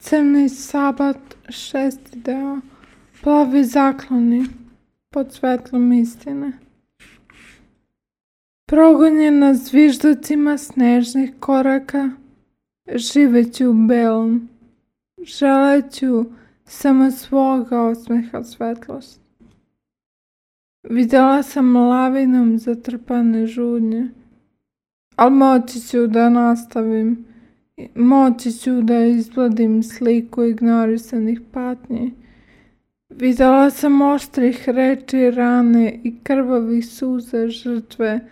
Crni sabat, 6. deo. Plavi zakloni pod svetlom istine. Progonjena zviždacima snežnih koraka, živeću u belom, želeću samo svoga osmeha svetlost. Videla sam lavinom zatrpane žudnje, ali moći ću da nastavim, moći ću da izgladim sliku ignorisanih patnji. Videla sam oštrih reči, rane i krvavih suza žrtve.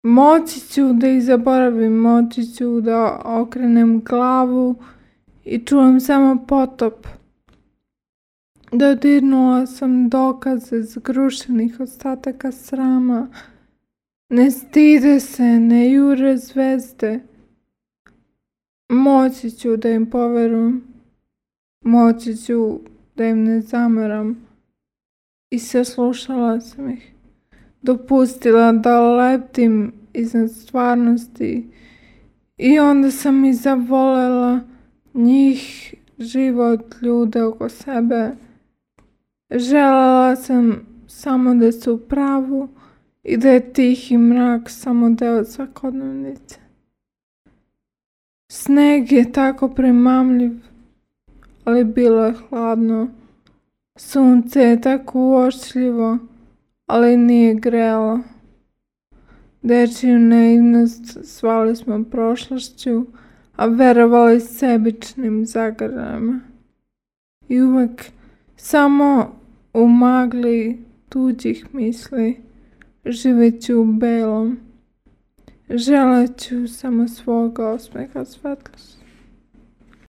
Moći ću da ih zaboravim, moći ću da okrenem glavu i čujem samo potop. Dodirnula sam dokaze zgrušenih ostataka srama. Ne stide se, ne jure zvezde. Moći ću da im poverujem, moći ću da im ne zameram. I saslušala sam ih. Dopustila da leptim iznad stvarnosti i onda sam i zavolela njih, život, ljude oko sebe. Želela sam samo da su u pravu i da je tihi mrak samo deo svakodnevnice. Sneg je tako primamljiv, ali bilo je hladno. Sunce je tako uočljivo, ali nije grelo. Dečiju naivnost zvali smo prošlošću, a verovali sebičnim zagrljajima. I uvek samo u magli tuđih misli živeću u belom, želeću samo svoga osmeha svetlosti.